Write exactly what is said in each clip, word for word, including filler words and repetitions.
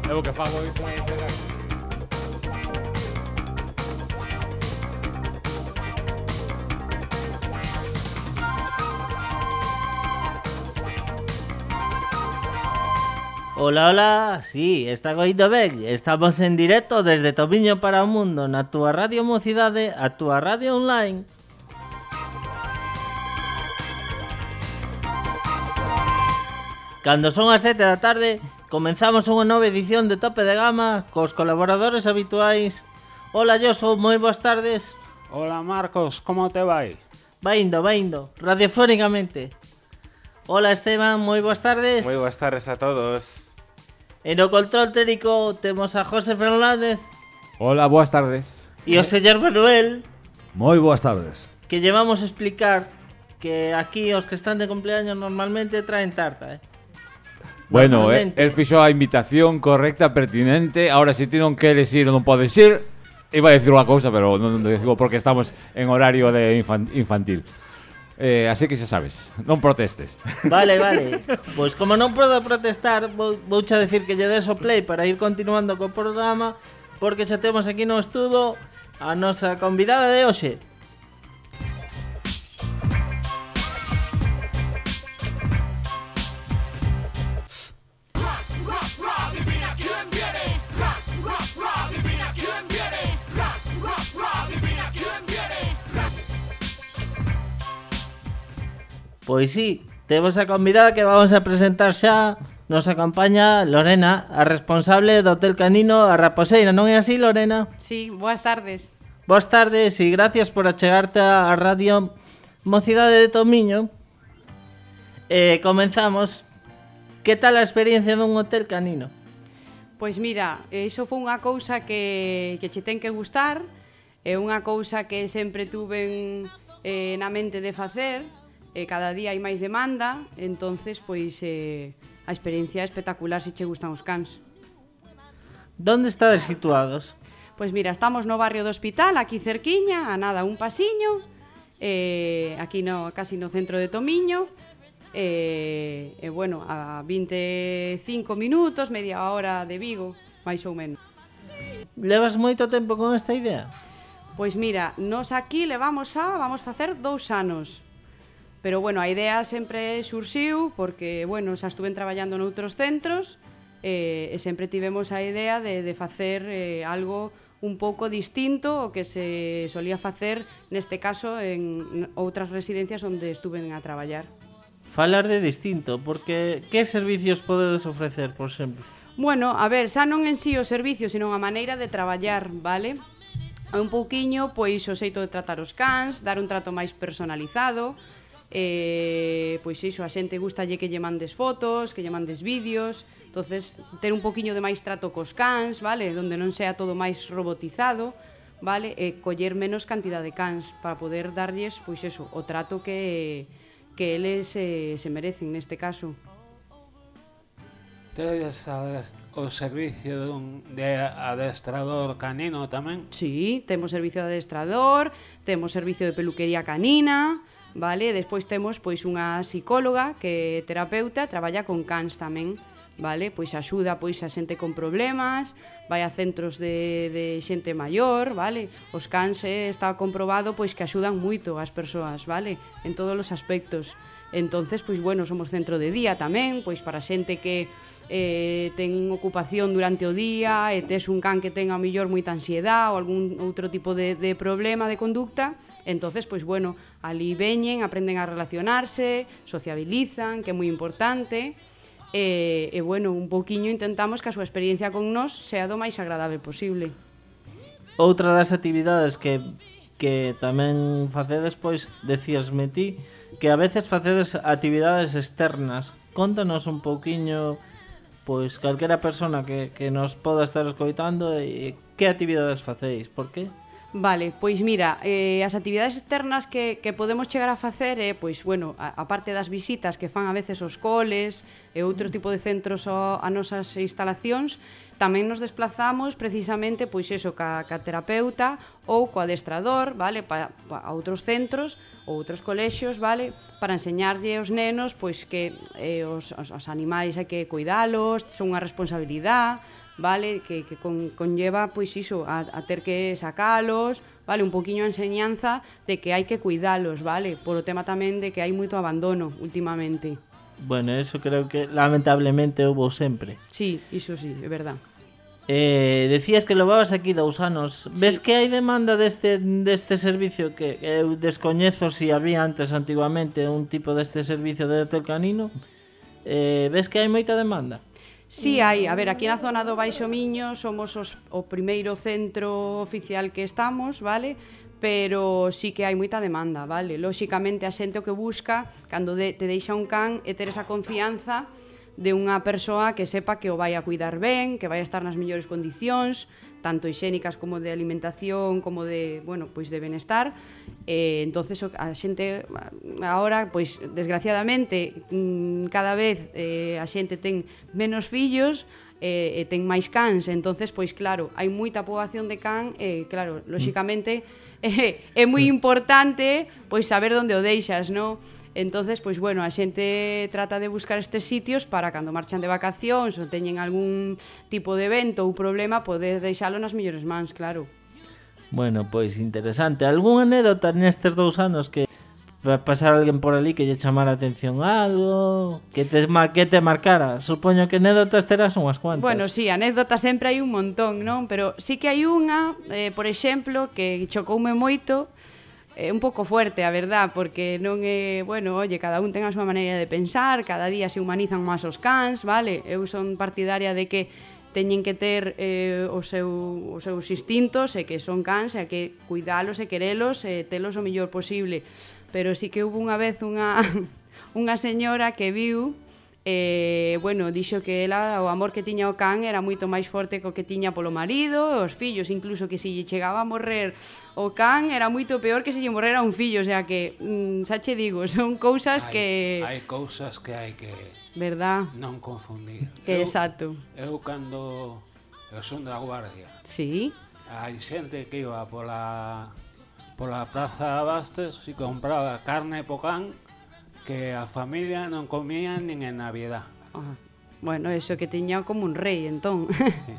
Eu que fago iso é pegar. Ola, ola, sí, está coindo ben. Estamos en directo desde Tomiño para o Mundo na túa Radio Mocidade, a túa radio online. Cando son as sete da tarde, comenzamos unha nova edición de Tope de Gama cos colaboradores habituais. Ola, Josu, moi boas tardes. Hola Marcos, como te vai? Va indo, va indo, radiofónicamente. Hola Esteban, moi boas tardes. Moi boas tardes a todos. E no control técnico temos a José Fernández. Hola, boas tardes. E o señor Manuel. Moi boas tardes. Que llevamos a explicar que aquí os que están de cumpleaños normalmente traen tarta, eh. Bueno, eh, el fixo a invitación correcta, pertinente. Ahora, si ti non queres ir ou non podes ir, iba a decir unha cousa, pero non, non digo porque estamos en horario de infan, infantil. Eh, así que xa sabes, non protestes. Vale, vale. Pois como non podo protestar, vou, vouche a decir que lle des o play para ir continuando co programa, porque xa temos aquí no estudo a nosa convidada de hoxe. Pois sí, temos a convidada que vamos a presentar xa. Nos acompaña Lorena, a responsable do Hotel Canino A Raposeira, non é así, Lorena? Sí, boas tardes. Boas tardes e gracias por achegarte á Radio Mocidade de Tomiño. Eh, comenzamos. Que tal a experiencia dun Hotel Canino? Pois mira, iso foi unha cousa que, que che ten que gustar, é unha cousa que sempre tuven eh, na mente de facer. E cada día hai máis demanda, entonces pois eh, a experiencia é espectacular se che gustan os cans. Donde estades situados? Pois mira, estamos no barrio do Hospital, aquí cerquiña, a nada un pasiño, eh, aquí no, casi no centro de Tomiño, e eh, eh, bueno, a vinte e cinco minutos, media hora de Vigo, máis ou menos. Levas moito tempo con esta idea? Pois mira, nos aquí levamos a, vamos facer dous anos. Pero, bueno, a idea sempre surxiu porque, bueno, xa estuven traballando noutros centros e, e sempre tivemos a idea de, de facer eh, algo un pouco distinto ao que se solía facer, neste caso, en outras residencias onde estuven a traballar. Falar de distinto, porque que servicios podedes ofrecer, por exemplo? Bueno, a ver, xa non en sí o servicio, sino a maneira de traballar, vale? Un pouquiño, pois, o xeito de tratar os cans, dar un trato máis personalizado. Eh, pois iso, a xente gustalle que lle mandes fotos, que lle mandes vídeos, entonces ter un poquiño de máis trato cos cans, vale, donde non sea todo máis robotizado, vale, e coller menos cantidad de cans para poder darlles, pois eso, o trato que que eles eh, se merecen neste caso. Tedes o servicio dun, de adestrador canino tamén? Sí, temos servicio de adestrador, temos servicio de peluquería canina, vale? Despois temos pois unha psicóloga que é terapeuta, traballa con cans tamén, vale? Pois axuda pois a xente con problemas, vai a centros de, de xente maior, vale? Os cans eh, está comprobado pois que axudan moito as persoas, vale? En todos os aspectos. Entonces, pois bueno, somos centro de día tamén, pois para xente que eh, ten ocupación durante o día e tes un can que ten a mellor moita ansiedade ou algún outro tipo de, de problema de conducta. Entonces, pois bueno, ali veñen, aprenden a relacionarse, sociabilizan, que é moi importante, e, e bueno, un pouquiño intentamos que a súa experiencia con nós sea do máis agradable posible. Outra das actividades que, que tamén facedes, pois, decíasme ti, que a veces facedes actividades externas. Contanos un pouquiño, pois, calquera persona que, que nos poda estar escoitando, e que actividades facéis, por qué? Vale, pois mira, eh, as actividades externas que, que podemos chegar a facer é, eh, pois, bueno, a, a parte das visitas que fan a veces os coles e outro tipo de centros a, a nosas instalacións, tamén nos desplazamos precisamente, pois eso, ca, ca terapeuta ou co adestrador, vale, pa, pa, a outros centros ou outros colexios, vale, para enseñarlle aos nenos, pois que eh, os, os, os animais hai que cuidalos, son unha responsabilidade, vale, que, que con, conlleva, pois iso, a, a ter que sacalos, vale, un poquinho a enseñanza de que hai que cuidalos, vale, por o tema tamén de que hai moito abandono últimamente. Bueno, eso creo que lamentablemente houve sempre. Sí, iso sí, é verdad. Eh, decías que levabas aquí dous anos. Ves Sí. que hai demanda deste deste servicio que eu descoñezo se si había antes antiguamente un tipo deste servicio de hotel canino? Eh, ves que hai moita demanda? Sí, hai, a ver, aquí na zona do Baixo Miño somos os, o primeiro centro oficial que estamos, vale? Pero sí que hai moita demanda, vale? Lóxicamente a xente o que busca cando de, te deixa un can é ter esa confianza de unha persoa que sepa que o vai a cuidar ben, que vai a estar nas mellores condicións, tanto hixénicas como de alimentación, como de, bueno, pois de benestar. Eh, entonces a xente agora, pois desgraciadamente, cada vez eh, a xente ten menos fillos, eh, e ten máis cans, entonces pois claro, hai moita poboación de can, e eh, claro, lóxicamente eh, é moi importante pois saber onde o deixas, non? Entonces, pois bueno, a xente trata de buscar estes sitios para cando marchan de vacacións ou teñen algún tipo de evento ou problema poder deixalo nas mellores mans, claro. Bueno, pois interesante. Algún anécdota nestes dous anos que va pasar alguén por ali que lle chamara a atención algo, que te, mar, que te marcara? Supoño que anécdotas terás unhas cuantas. Bueno, sí, anécdotas sempre hai un montón, non? Pero sí que hai unha, eh, por exemplo, que chocoume moito. É un pouco fuerte, a verdad, porque non é, bueno, oye, cada un ten a súa maneira de pensar, cada día se humanizan máis os cans, vale? Eu son partidaria de que teñen que ter eh, os, seu, os seus instintos e que son cans e que cuidalos e querelos e telos o mellor posible. Pero sí que hubo unha vez unha, unha señora que viu Eh, bueno, dixo que ela, o amor que tiña o can era moito máis forte co que tiña polo marido, os fillos, incluso que se lle chegaba a morrer o can era moito peor que se lle morrera un fillo, o sea que, mm, xa che digo, son cousas hai, que... Hai cousas que hai que verdad? non confundir. Que eu, exacto. Eu cando eu son da Guardia, Sí. hai xente que iba pola pola Praza Bastes e compraba carne po can que a familia non comía nin en Navidad. Ah, bueno, eso que tiña como un rei, entón. Sí.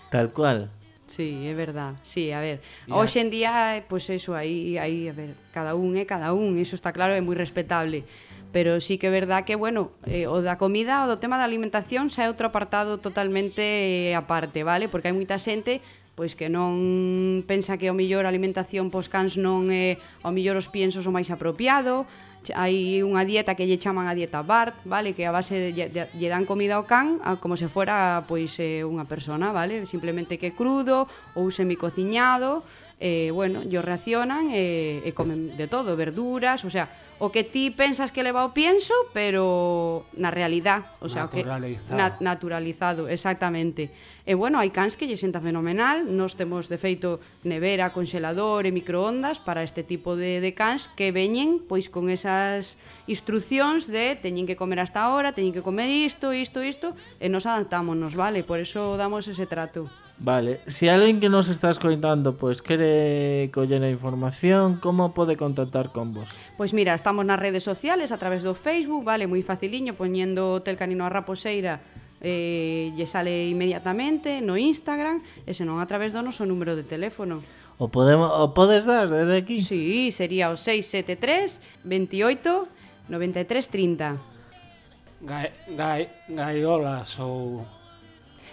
Tal cual. Sí, é verdad. Sí, a ver, Ya. hoxe en día, pois pues eso, aí, aí, a ver, cada un é cada un, eso está claro, é moi respetable. Pero sí que é verdad que, bueno, eh, o da comida, o do tema da alimentación xa é outro apartado totalmente eh, aparte, vale? Porque hai moita xente pois que non pensa que o mellor a alimentación pos cans non é o mellor os piensos o máis apropiado. Hai unha dieta que lle chaman a dieta Bart, vale, que a base de, de, de, lle dan comida ao can a, como se fora pois eh, unha persona, vale, simplemente que crudo ou semicociñado, eh, bueno, yo racionan e, e comen de todo, verduras, o sea, o que ti pensas que leva o pienso, pero na realidad, o sea, Naturalizado. o que na, naturalizado, exactamente. E bueno, hai cans que lle senta fenomenal, nós temos de feito nevera, congelador e microondas para este tipo de, de cans que veñen pois con esas instruccións de teñen que comer hasta ahora, teñen que comer isto, isto, isto, e nos adaptámonos, vale? Por eso damos ese trato. Vale, se alguén que nos está escoitando pois quere coller a información, como pode contactar con vos? Pois mira, estamos nas redes sociales a través do Facebook, vale, moi faciliño, poñendo Hotel Canino a Raposeira, eh, lle sale inmediatamente no Instagram, e senón a través do noso número de teléfono. O podemos o podes dar desde aquí? Sí, sería o seis sete tres, veintiocho, noventa e tres, trinta. Gai, gai, gaiolas ou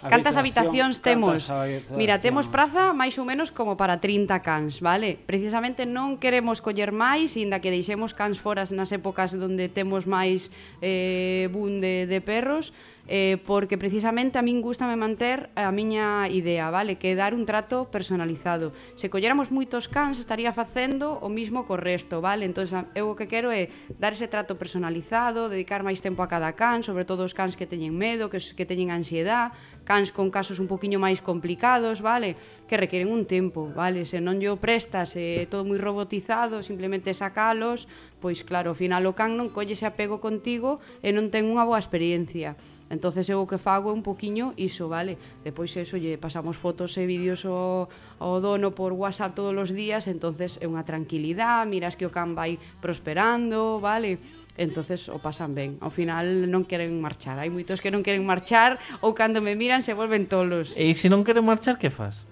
Cantas habitación, habitacións temos? cantas habitacións? Mira, temos praza máis ou menos como para trinta cans, vale? Precisamente non queremos coller máis, inda que deixemos cans foras nas épocas onde temos máis eh, boom de, de perros, eh, porque precisamente a min gustame manter a miña idea, vale? Que é dar un trato personalizado. Se colléramos moitos cans estaría facendo o mismo co resto, vale? Entón, eu o que quero é dar ese trato personalizado, dedicar máis tempo a cada can, sobre todo os cans que teñen medo, que, que teñen ansiedade, cans con casos un poquinho máis complicados, vale? Que requieren un tempo, vale? Se non yo prestas, é eh, todo moi robotizado, simplemente sacalos, pois claro, ao final o can non colle ese apego contigo e non ten unha boa experiencia. Entonces eu o que fago é un poquinho iso, vale? Depois eso, lle pasamos fotos e vídeos ao, ao dono por WhatsApp todos os días, entonces é unha tranquilidade, miras que o can vai prosperando, vale? entonces o pasan ben. Ao final non queren marchar. Hai moitos que non queren marchar ou cando me miran se volven tolos. E se non queren marchar, que fas?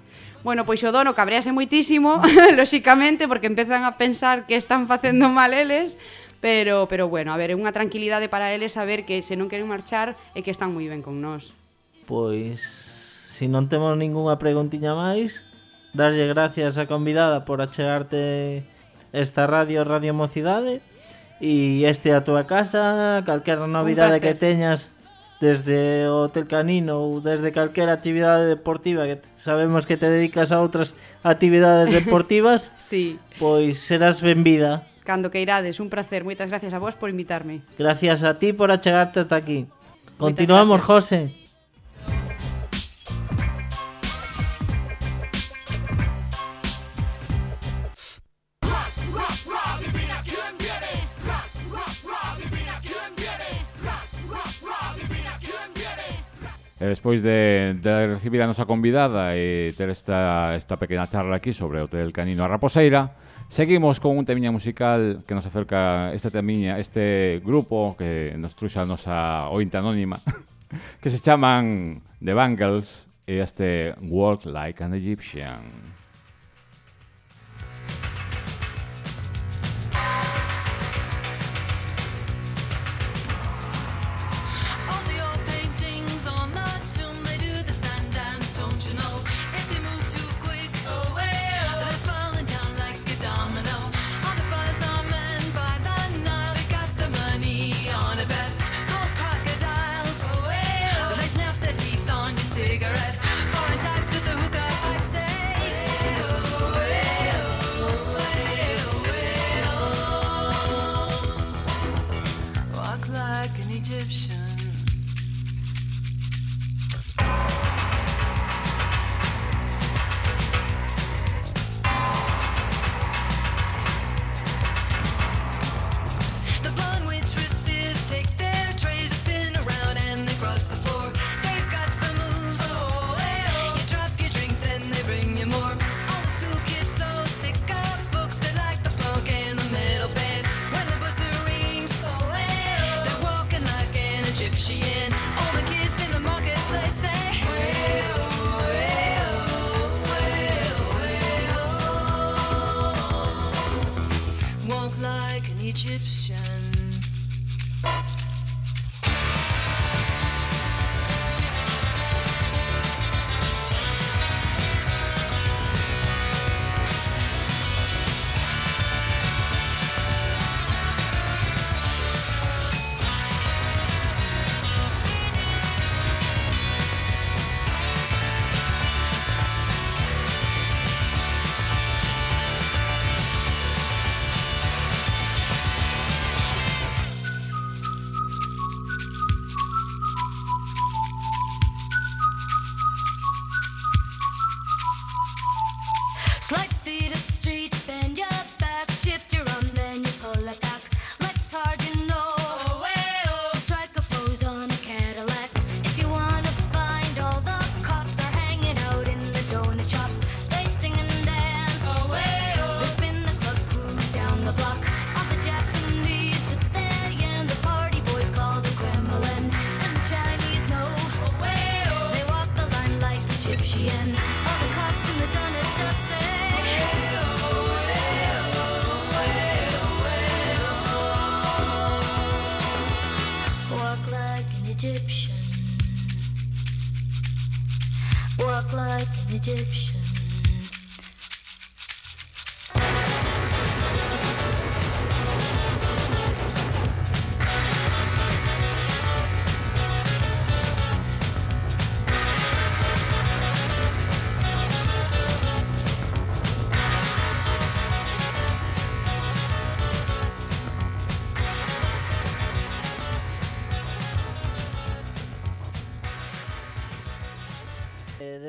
Bueno, pois o dono cabrease moitísimo, lóxicamente, porque empezan a pensar que están facendo mal eles, pero, pero bueno, a ver, é unha tranquilidade para eles saber que se non queren marchar é que están moi ben con nós. Pois, se non temos ningunha preguntiña máis, darlle gracias á convidada por achegarte esta radio, Radio Mocidade, e este a túa casa, calquera novidade que teñas desde o Hotel Canino ou desde calquera actividade deportiva, que sabemos que te dedicas a outras actividades deportivas, sí. Pois serás benvida. Cando que irades, un placer. Moitas gracias a vos por invitarme. Gracias a ti por achegarte ata aquí. Continuamos, José. E despois de, de recibir a nosa convidada e ter esta, esta pequena charla aquí sobre o Hotel Canino a Raposeira, seguimos con un temiña musical que nos acerca este temiña, este grupo que nos truxa a nosa ointe anónima, que se chaman The Bangles, e este Walk Like an Egyptian.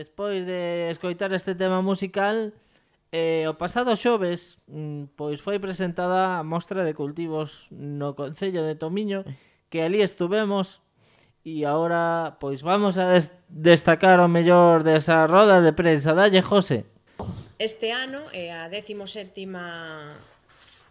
Despois de escoitar este tema musical, eh, o pasado xoves pois foi presentada a mostra de cultivos no Concello de Tomiño, que ali estuvemos, e agora pois vamos a des destacar o mellor desa roda de prensa. Dalle, José. Este ano é a décimo sétima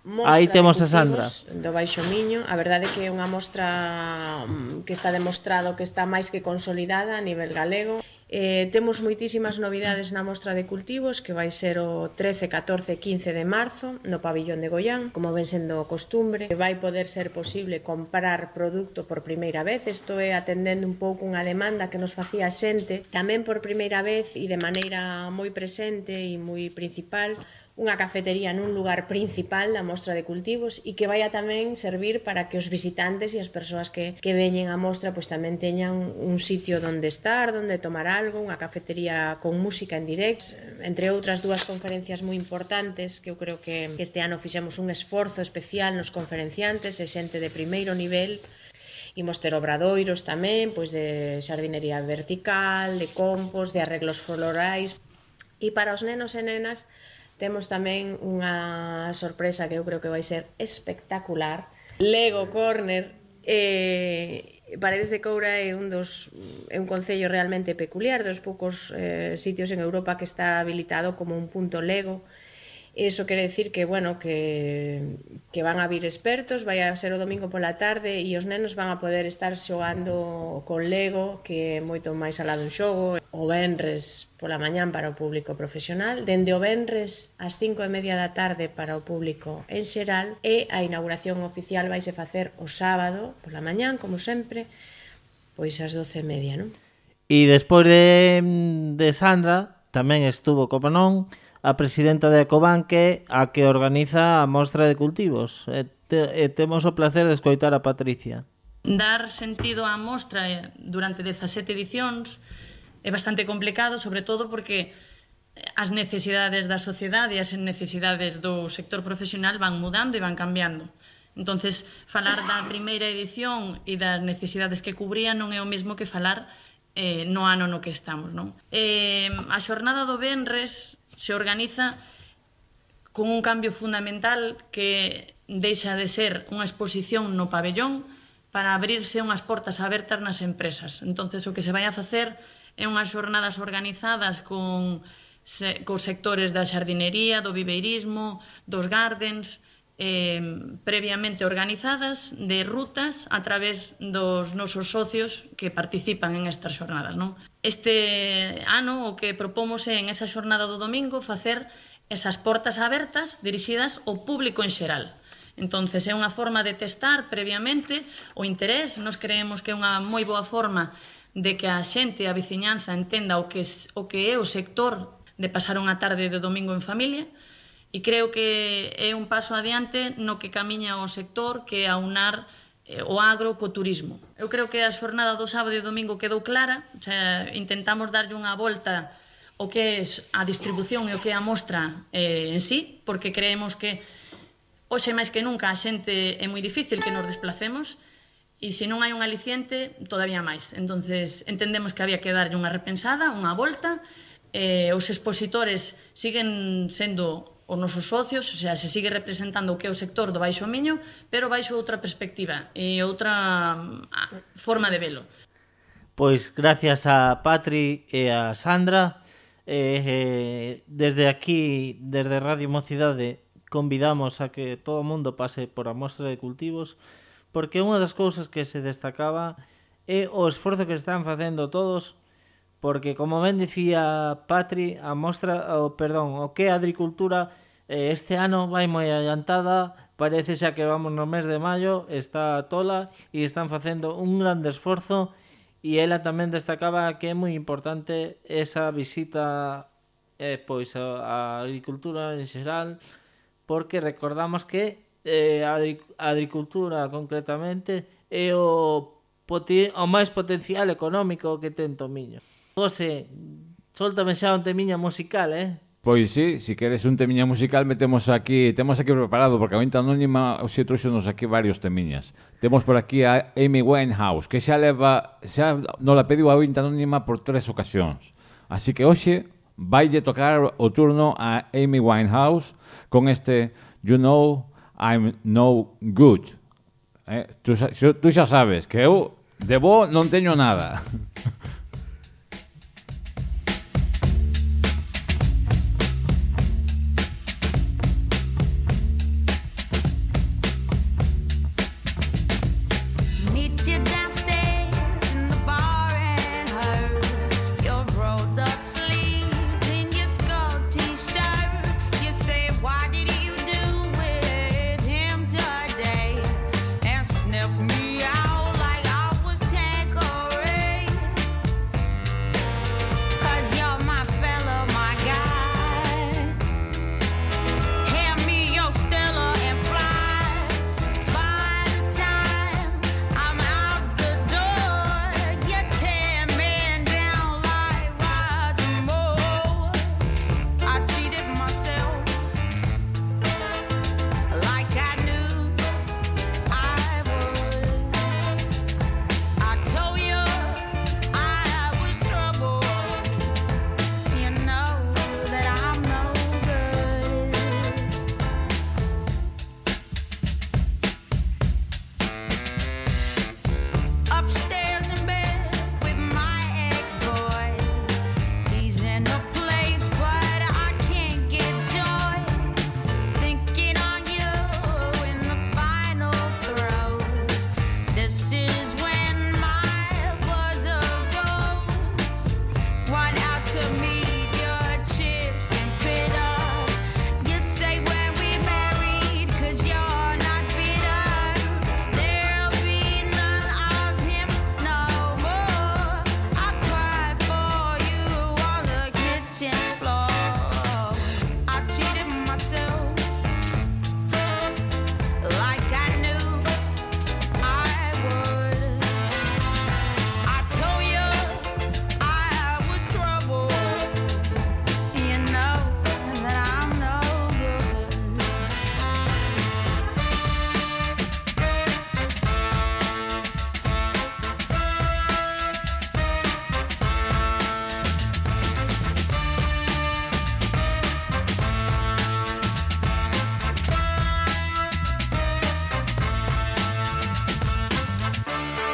mostra Aí temos de a Sandra cultivos do Baixo Miño. A verdade é que é unha mostra que está demostrado que está máis que consolidada a nivel galego. Eh, temos moitísimas novidades na mostra de cultivos, que vai ser o trece, catorce e quince de marzo no pabillón de Goián, como ven sendo costumbre. Vai poder ser posible comprar produto por primeira vez. Isto é atendendo un pouco unha demanda que nos facía a xente, tamén por primeira vez e de maneira moi presente e moi principal, unha cafetería nun lugar principal da mostra de cultivos e que vai a tamén servir para que os visitantes e as persoas que, que veñen á mostra pois tamén teñan un sitio onde estar, onde tomar algo, unha cafetería con música en directo, entre outras dúas conferencias moi importantes que eu creo que este ano fixemos un esforzo especial nos conferenciantes e xente de primeiro nivel. Imos ter obradoiros tamén, pois de xardinería vertical, de compost, de arreglos florais. E para os nenos e nenas temos tamén unha sorpresa que eu creo que vai ser espectacular. Lego Corner, eh, Paredes de Coura é un dos é un concello realmente peculiar, dos poucos eh, sitios en Europa que está habilitado como un punto Lego. Eso quere decir que, bueno, que, que van a vir expertos, vai a ser o domingo pola tarde e os nenos van a poder estar xogando con Lego, que é moito máis alá dun xogo. O venres pola mañán para o público profesional, dende o venres ás cinco e media da tarde para o público en xeral, e a inauguración oficial vaise facer o sábado pola mañán, como sempre, pois ás doce e media, non? E despois de, de Sandra, tamén estuvo, como non, a presidenta de Ecobanque, a que organiza a mostra de cultivos. E, te, e temos o placer de escoitar a Patricia. Dar sentido á mostra durante dezasete edicións é bastante complicado, sobre todo porque as necesidades da sociedade e as necesidades do sector profesional van mudando e van cambiando. Entonces, falar da primeira edición e das necesidades que cubría non é o mesmo que falar eh, no ano no que estamos, non? Eh, a xornada do venres se organiza con un cambio fundamental que deixa de ser unha exposición no pabellón para abrirse unhas portas abertas nas empresas. Entonces, o que se vai a facer é unhas xornadas organizadas con se, cos sectores da xardinería, do viveirismo, dos gardens, eh, previamente organizadas de rutas a través dos nosos socios que participan en estas xornadas, non? Este ano o que propomos é en esa xornada do domingo facer esas portas abertas dirixidas ao público en xeral. Entonces é unha forma de testar previamente o interés. Nos creemos que é unha moi boa forma de que a xente, a veciñanza entenda o que, o que é o sector de pasar unha tarde de domingo en familia, e creo que é un paso adiante no que camiña o sector, que é aunar o agro co turismo. Eu creo que a xornada do sábado e domingo quedou clara, o sea, intentamos darlle unha volta o que é a distribución e o que é a mostra eh, en sí, porque creemos que hoxe máis que nunca a xente é moi difícil que nos desplacemos e se non hai un aliciente, todavía máis. Entonces entendemos que había que darlle unha repensada, unha volta. Eh, os expositores siguen sendo os nosos socios, o sea, se sigue representando o que é o sector do Baixo Miño, pero baixo outra perspectiva e outra forma de velo. Pois gracias a Patri e a Sandra, eh, eh, desde aquí, desde Radio Mocidade, convidamos a que todo o mundo pase por a mostra de cultivos, porque unha das cousas que se destacaba é o esforzo que están facendo todos, porque, como ben dicía Patri, a mostra, o, perdón, o que é a agricultura eh, este ano vai moi adiantada, parece xa que vamos no mes de maio, está a tola e están facendo un grande esforzo, e ela tamén destacaba que é moi importante esa visita eh, pois a, a agricultura en xeral, porque recordamos que eh, a agricultura concretamente é o, o máis potencial económico que ten Tomiño. José, soltame xa un temiña musical, eh? Pois sí, si queres un temiña musical metemos aquí, temos aquí preparado, porque a Vinta Anónima xe trouxenos aquí varios temiñas. Temos por aquí a Amy Winehouse, que xa leva, xa non la pediu a Vinta Anónima por tres ocasións. Así que hoxe vaille tocar o turno a Amy Winehouse con este You Know I'm No Good. Eh? Tú, tú xa sabes que eu de bo non teño nada.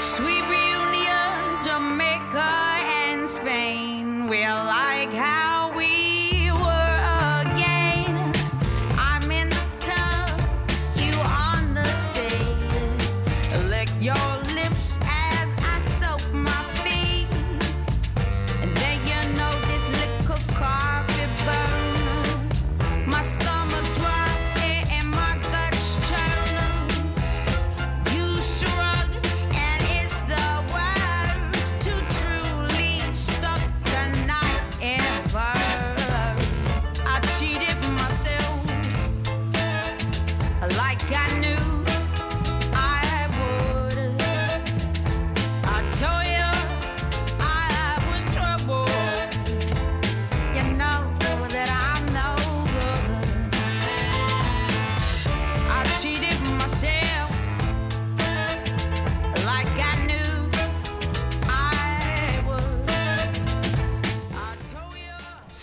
Sweet reunion, Jamaica and Spain. We're like how we were again. I'm in the tub, you on the sea. Lick your lips as I soak my feet. And then you know this little carpet burn. My stomach drop and my guts churn. You shrug.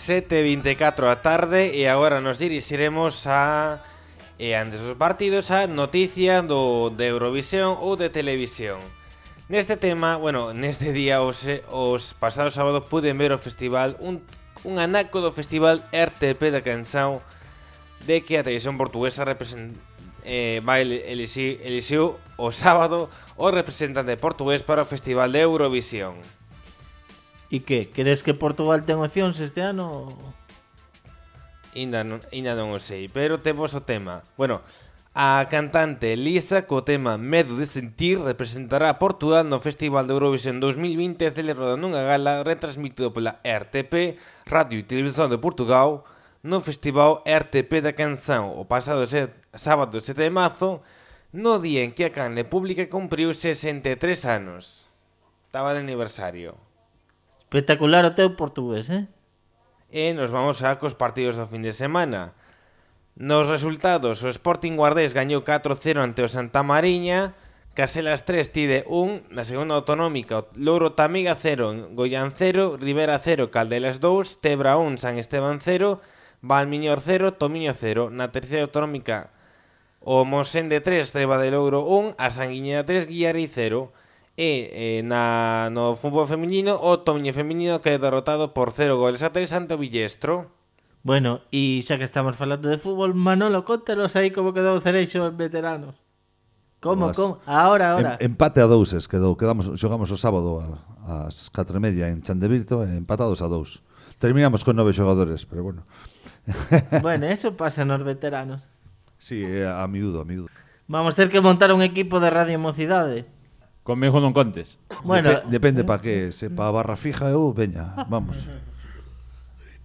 sete e vinte e catro da tarde e agora nos dirixiremos a e antes dos partidos a noticia do de Eurovisión ou de televisión. Neste tema, bueno, neste día os, os pasados sábados puden ver o festival un, un anaco do festival R T P da canción de que a televisión portuguesa represent, eh, vai elixiu, elixiu o sábado o representante portugués para o festival de Eurovisión. E que? Queres que Portugal ten opcións este ano? Ainda non, ainda non o sei, pero temos o tema. Bueno, a cantante Lisa co tema Medo de Sentir representará a Portugal no Festival de Eurovisión dos mil vinte celebrado nunha gala retransmitido pola R T P, Radio e Televisión de Portugal, no Festival R T P da Canção o pasado set, sábado sete de marzo, no día en que a canle pública cumpriu sesenta e tres anos. Estaba de aniversario. Espectacular o teu portugués, eh? E nos vamos a cos partidos do fin de semana. Nos resultados, o Sporting Guardés gañou catro cero ante o Santa Mariña, Caselas tres tide un, na segunda autonómica o Louro Tamiga cero, Goián cero, Ribera cero, Caldelas dous, Tebra un, San Esteban cero, Valmiñor cero, Tomiño cero, na terceira autonómica o Mosende tres, Treba de Louro un, a Sanguiñeda tres, Guiarei cero. E eh, na, no fútbol feminino o Tomiño feminino que é derrotado por cero goles a tres ante o Villestro. Bueno, e xa que estamos falando de fútbol, Manolo, contanos aí como quedou o Cereixo en veteranos. Como, As, como? Ahora, ahora. Em, empate a douses quedou, quedamos, xogamos o sábado a, ás catro e media en Chandevirto, empatados a dous. Terminamos con nove xogadores, pero bueno. Bueno, eso pasa nos veteranos. Sí, a miúdo, a miúdo. Vamos ter que montar un equipo de Radio Mocidade. Conmigo non contes. Bueno, Dep depende para que, se pa barra fija eu, veña, vamos.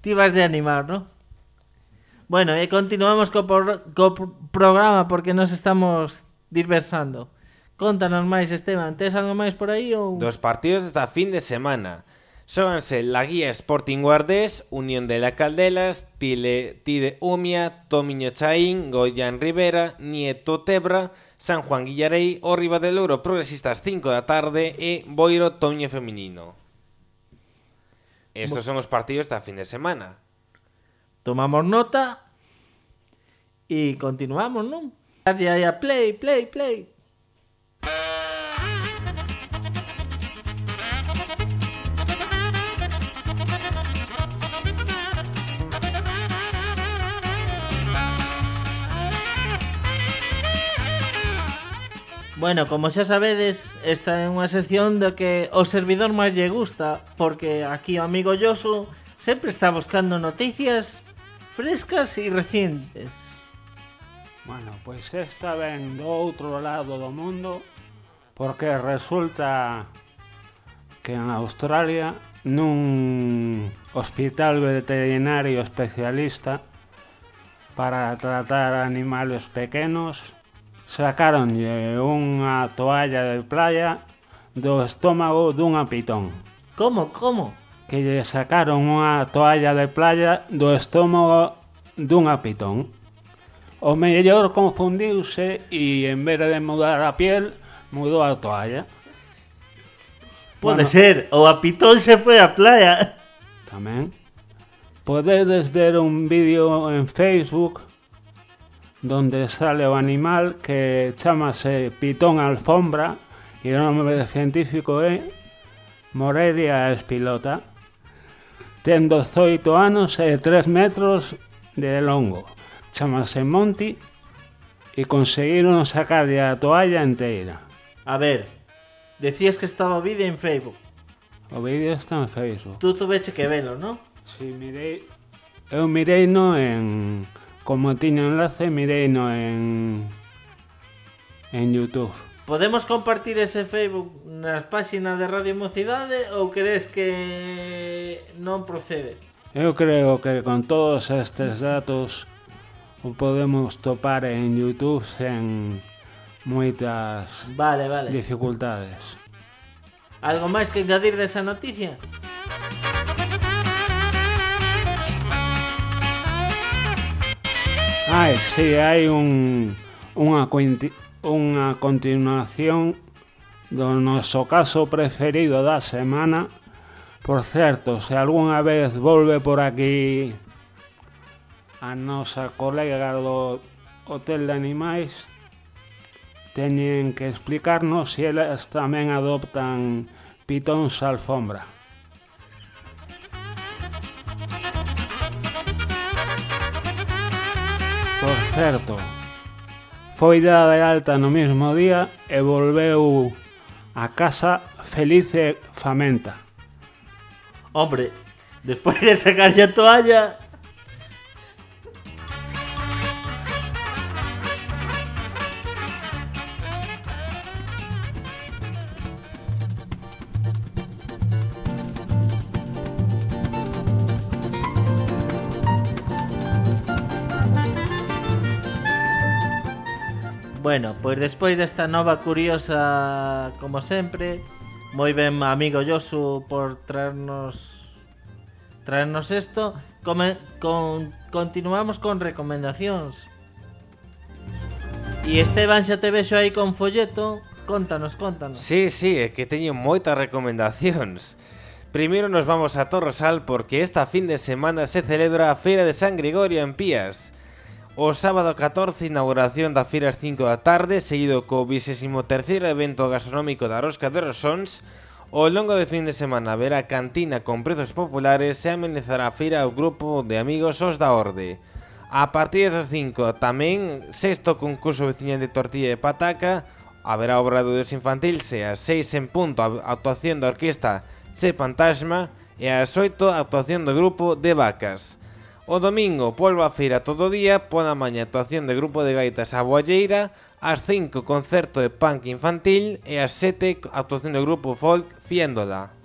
Ti vas de animar, ¿no? Bueno, e continuamos co, por, co programa porque nos estamos diversando. Contanos máis, Esteban, tes algo máis por aí ou? Dos partidos desta fin de semana. Xóganse la Guía Sporting Guardés, Unión de la Caldelas, Tile, Tide Umia, Tomiño Chaín, Goián Ribera, Nieto Tebra, San Juan Guillarei, o Ribadelouro Progresistas cinco da tarde e Boiro Tomiño Feminino. Estos son os partidos da fin de semana. Tomamos nota e continuamos, non? Ya, ya, play, play, play. Bueno, como xa sabedes, esta é unha sección do que o servidor máis lle gusta, porque aquí o amigo Yosu sempre está buscando noticias frescas e recientes. Bueno, pois esta ven do outro lado do mundo, porque resulta que en Australia, nun hospital veterinario especialista para tratar animales pequenos, sacáronlle unha toalla de playa do estómago dunha pitón. Como, como? Que lle sacaron unha toalla de playa do estómago dunha pitón. O mellor confundiuse e en vez de mudar a piel, mudou a toalla. Pode bueno, ser, ou a pitón se foi á playa. Tamén. Podedes ver un vídeo en Facebook donde sale o animal que chamase pitón alfombra e o nome científico é Morelia espilota. Ten dezoito anos e tres metros de longo. Chamase Monty e conseguiron sacarlle a toalla inteira. A ver, decías que estaba o vídeo en Facebook. O vídeo está en Facebook. Tú tuveche que velo, non? Si, mirei. Eu mirei no en... Como tiña enlace, mirei no en... En YouTube. Podemos compartir ese Facebook nas páxinas de Radio Mocidade ou crees que non procede? Eu creo que con todos estes datos o podemos topar en YouTube sen moitas vale, vale. dificultades. Algo máis que engadir desa noticia? Ah, sí, hai un, unha, unha continuación do noso caso preferido da semana. Por certo, se algunha vez volve por aquí a nosa colega do Hotel de Animais, teñen que explicarnos se elas tamén adoptan pitóns alfombra. Por certo, foi dada de alta no mesmo día e volveu a casa feliz e famenta. Hombre, despois de sacarse a toalla... Bueno, pois despois desta nova curiosa, como sempre, moi ben amigo Yosu por traernos traernos isto. Come, con, continuamos con recomendacións. E Esteban, xa te vexo aí con folleto. Contanos, contanos. Sí, sí, é que teño moitas recomendacións. Primeiro nos vamos a Torresal porque esta fin de semana se celebra a Feira de San Gregorio en Pías. O sábado catorce, inauguración da feira ás cinco da tarde, seguido co vigésimo terceiro evento gastronómico da Rosca de Rosóns. Ao longo do fin de semana haberá cantina con prezos populares e amenizará a feira o grupo de amigos Os da Orde. A partir das cinco tamén, sexto concurso veciñal de tortilla e pataca, haberá obra do Deus infantil, se ás seis en punto a actuación da orquesta Che Fantasma e ás oito a actuación do grupo de Vacas. O domingo, polvo a feira todo o día, pola mañá actuación de grupo de gaitas a Boalleira, ás cinco concerto de punk infantil e ás sete actuación do grupo folk Fiéndola.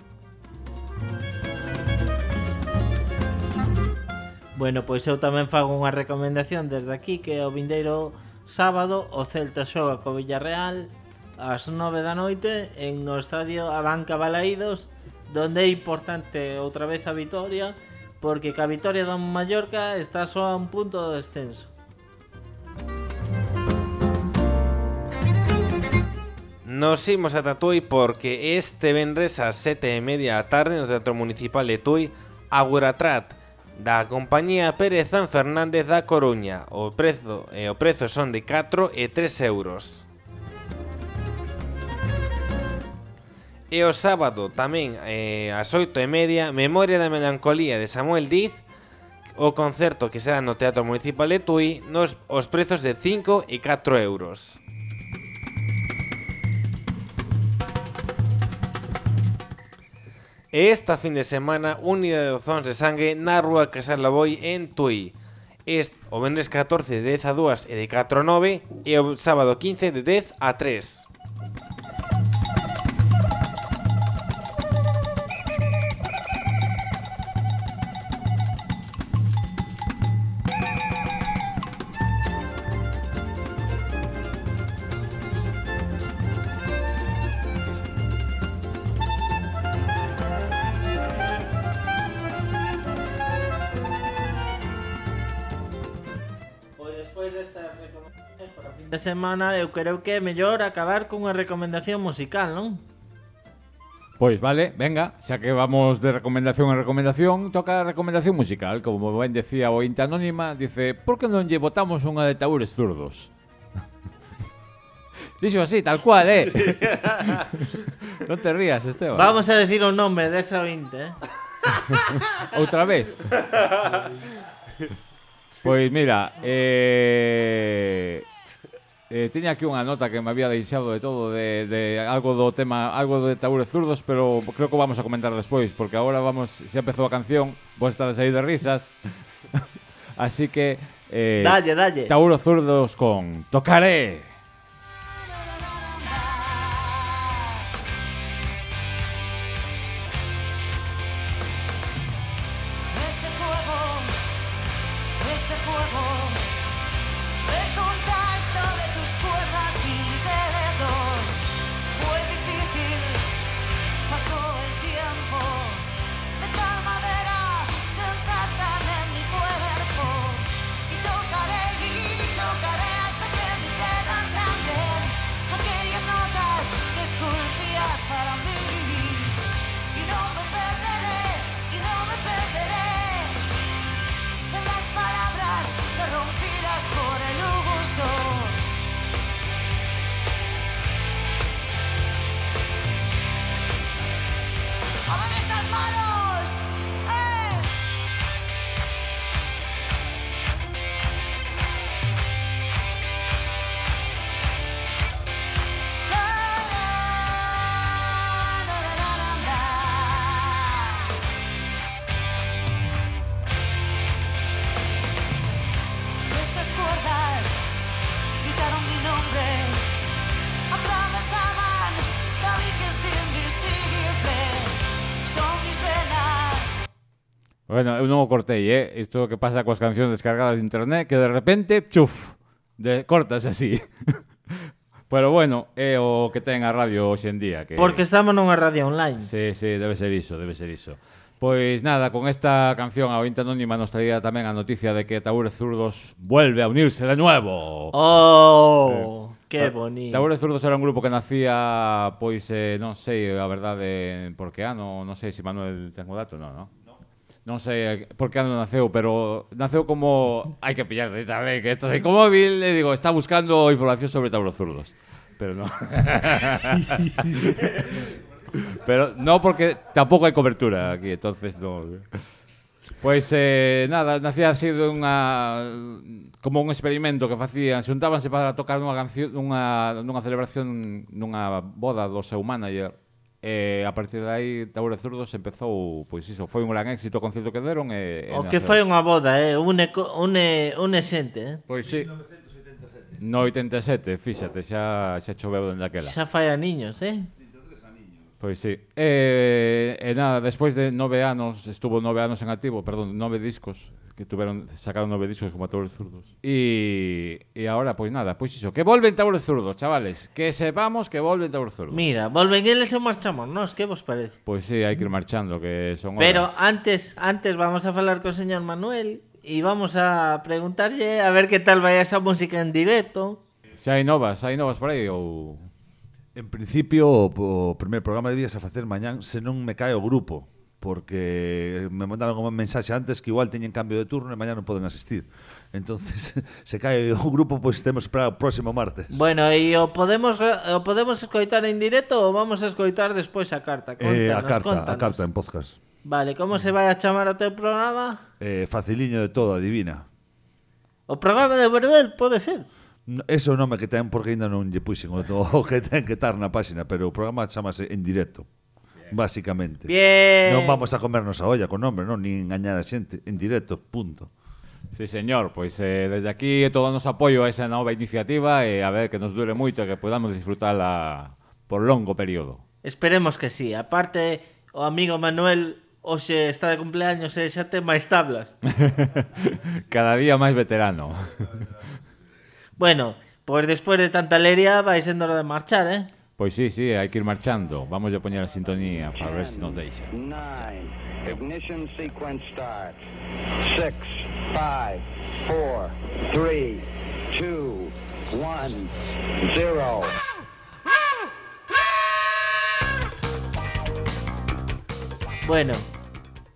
Bueno, pois eu tamén fago unha recomendación desde aquí, que o vindeiro sábado o Celta xoga co Villarreal ás nove da noite en no estadio Abanca Balaídos, donde é importante outra vez a vitoria, porque ca vitoria do Mallorca está só a un punto do descenso. Nos imos ata Tui porque este venres ás sete e media da tarde no Teatro Municipal de Tui, Aguratrat, da compañía Pérez San Fernández da Coruña. O prezo, eh, o prezo son de catro e tres euros. E o sábado tamén eh, ás oito e media, Memoria da Melancolía de Samuel Diz, o concerto que será no Teatro Municipal de Tui, nos os prezos de cinco e catro euros. E esta fin de semana, unidade de dozóns de sangue na rúa Casal Laboi en Tui. Este, o venres catorce de dez a dúas e de catro a nove e o sábado quince de dez a tres. De semana eu creo que é mellor acabar cunha recomendación musical, non? Pois vale, venga, xa que vamos de recomendación en recomendación, toca a recomendación musical. Como ben decía o Inte Anónima, dice, por que non lle botamos unha de Taúres Zurdos? Dixo así, tal cual, eh? Non te rías, Esteban. Vamos a decir o nome desa ointe, eh? Outra vez. Pois mira, eh... Eh, tiña aquí unha nota que me había deixado de todo de, de algo do tema, algo de Taúres Zurdos, pero creo que vamos a comentar despois, porque agora vamos, xa empezou a canción, vos estades aí de risas. Así que eh, dalle, dalle. Taúres Zurdos con Tocaré. Bueno, eu non o cortei, eh? Isto que pasa coas cancións descargadas de internet, que de repente, chuf, de, cortas así. Pero bueno, é o que ten a radio hoxe en día. Que... Porque estamos nunha radio online. Sí, sí, debe ser iso, debe ser iso. Pois nada, con esta canción a Ointe Anónima nos traía tamén a noticia de que Taúres Zurdos vuelve a unirse de nuevo. Oh, eh, que bonito. Taúres Zurdos era un grupo que nacía, pois, eh, non sei, a verdade, por que ano, non sei se Manuel ten o dato, non, non? Non sei por que ano naceu, pero naceu como... Hai que pillar de tamén, que esto é como móvil, e digo, está buscando información sobre Taúres Zurdos. Pero non. Pero no, porque tampouco hai cobertura aquí, entonces no. Pois, eh, nada, nacía así de unha... como un experimento que facían, xuntábanse para tocar nunha canción, nunha, nunha celebración, nunha boda do seu manager. E a partir de aí Taúres Zurdos empezou, pois iso, foi un gran éxito o concerto que deron e, e o que foi unha boda, eh, une une une xente, eh. Pois si. No oitenta e sete, fíxate, xa xa choveu dende aquela. Xa fai a niños, eh. Pois si. E, e nada, despois de nove anos, estuvo nove anos en activo, perdón, nove discos, que tuveron, sacaron nove discos como Taúres Zurdos. E, e agora, pois nada, pois iso, que volven Taúres Zurdos, chavales, que sepamos que volven Taúres Zurdos. Mira, volven eles e marchamos, nos, que vos parece? Pois si, hai que ir marchando, que son horas. Pero antes, antes vamos a falar co señor Manuel e vamos a preguntarlle a ver que tal vai esa música en directo. Xa hai novas, hai novas por aí ou... En principio, o primer programa debías a facer mañán se non me cae o grupo, porque me mandaron unha mensaxe antes que igual teñen cambio de turno e mañá non poden asistir. Entonces, se cae o grupo, pois pues, temos para o próximo martes. Bueno, e o podemos o podemos escoitar en directo ou vamos a escoitar despois a carta? Contanos, eh, a carta, contanos. a carta en podcast. Vale, como se vai a chamar o teu programa? Eh, faciliño de todo, adivina. O programa de Verbel pode ser? Ese é o nome que ten porque ainda non lle puxen o, o que ten que estar na páxina, pero o programa chamase En Directo. Básicamente. Bien. Non vamos a comernos a olla con nombre, non? Ni engañar a xente en directo, punto. Sí, señor, pois eh, desde aquí todo o noso apoio a esa nova iniciativa e a ver que nos dure moito e que podamos disfrutarla por longo período. Esperemos que sí. Aparte, o amigo Manuel hoxe está de cumpleaños e xa ten máis tablas. Cada día máis veterano. Bueno, pois despois de tanta leria vai sendo hora de marchar, eh? Pois sí, sí, hai que ir marchando. Vamos a poñer a sintonía para ver se nos deixa. Nine. Ignition sequence start. Six, five, four, three, two, one, zero. Bueno,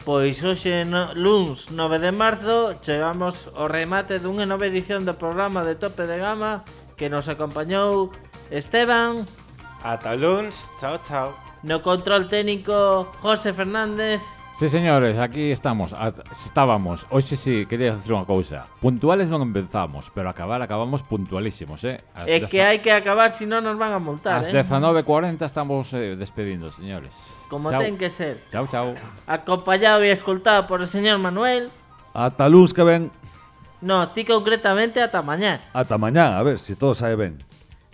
pois hoxe no, luns nove de marzo chegamos ao remate dunha nova edición do programa de Tope de Gama que nos acompañou Esteban. Ata luns, chao, chao. No control técnico José Fernández. Sí, señores, aquí estamos. Estábamos. Hoxe sí, quería decir unha cousa. Puntuales non empezamos, pero acabar acabamos puntualísimos, eh? As É que hai que acabar, si non nos van a multar, As eh? dezanove cuarenta estamos eh, despedindo, señores. Como Chao. ten que ser. Chao, chao. Acompañado e escoltado por o señor Manuel. Ata luz que ven. No, ti concretamente ata mañá. Ata mañá, a ver se si todo sae ben.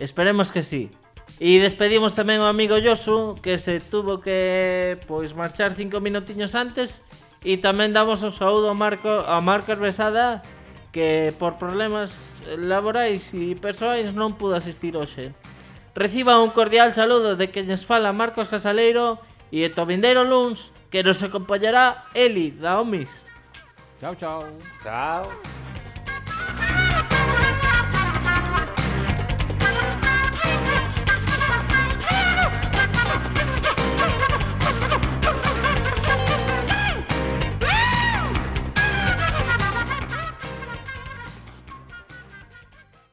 Esperemos que sí. E despedimos tamén ao amigo Josu, que se tuvo que pois marchar cinco minutiños antes. E tamén damos un saúdo ao Marco, ao Marco Herbesada, que por problemas laborais e persoais non pudo asistir hoxe. Reciba un cordial saludo de quenes fala Marcos Casaleiro e o vindeiro luns que nos acompañará Eli da Omis. Chao, chao. Chao.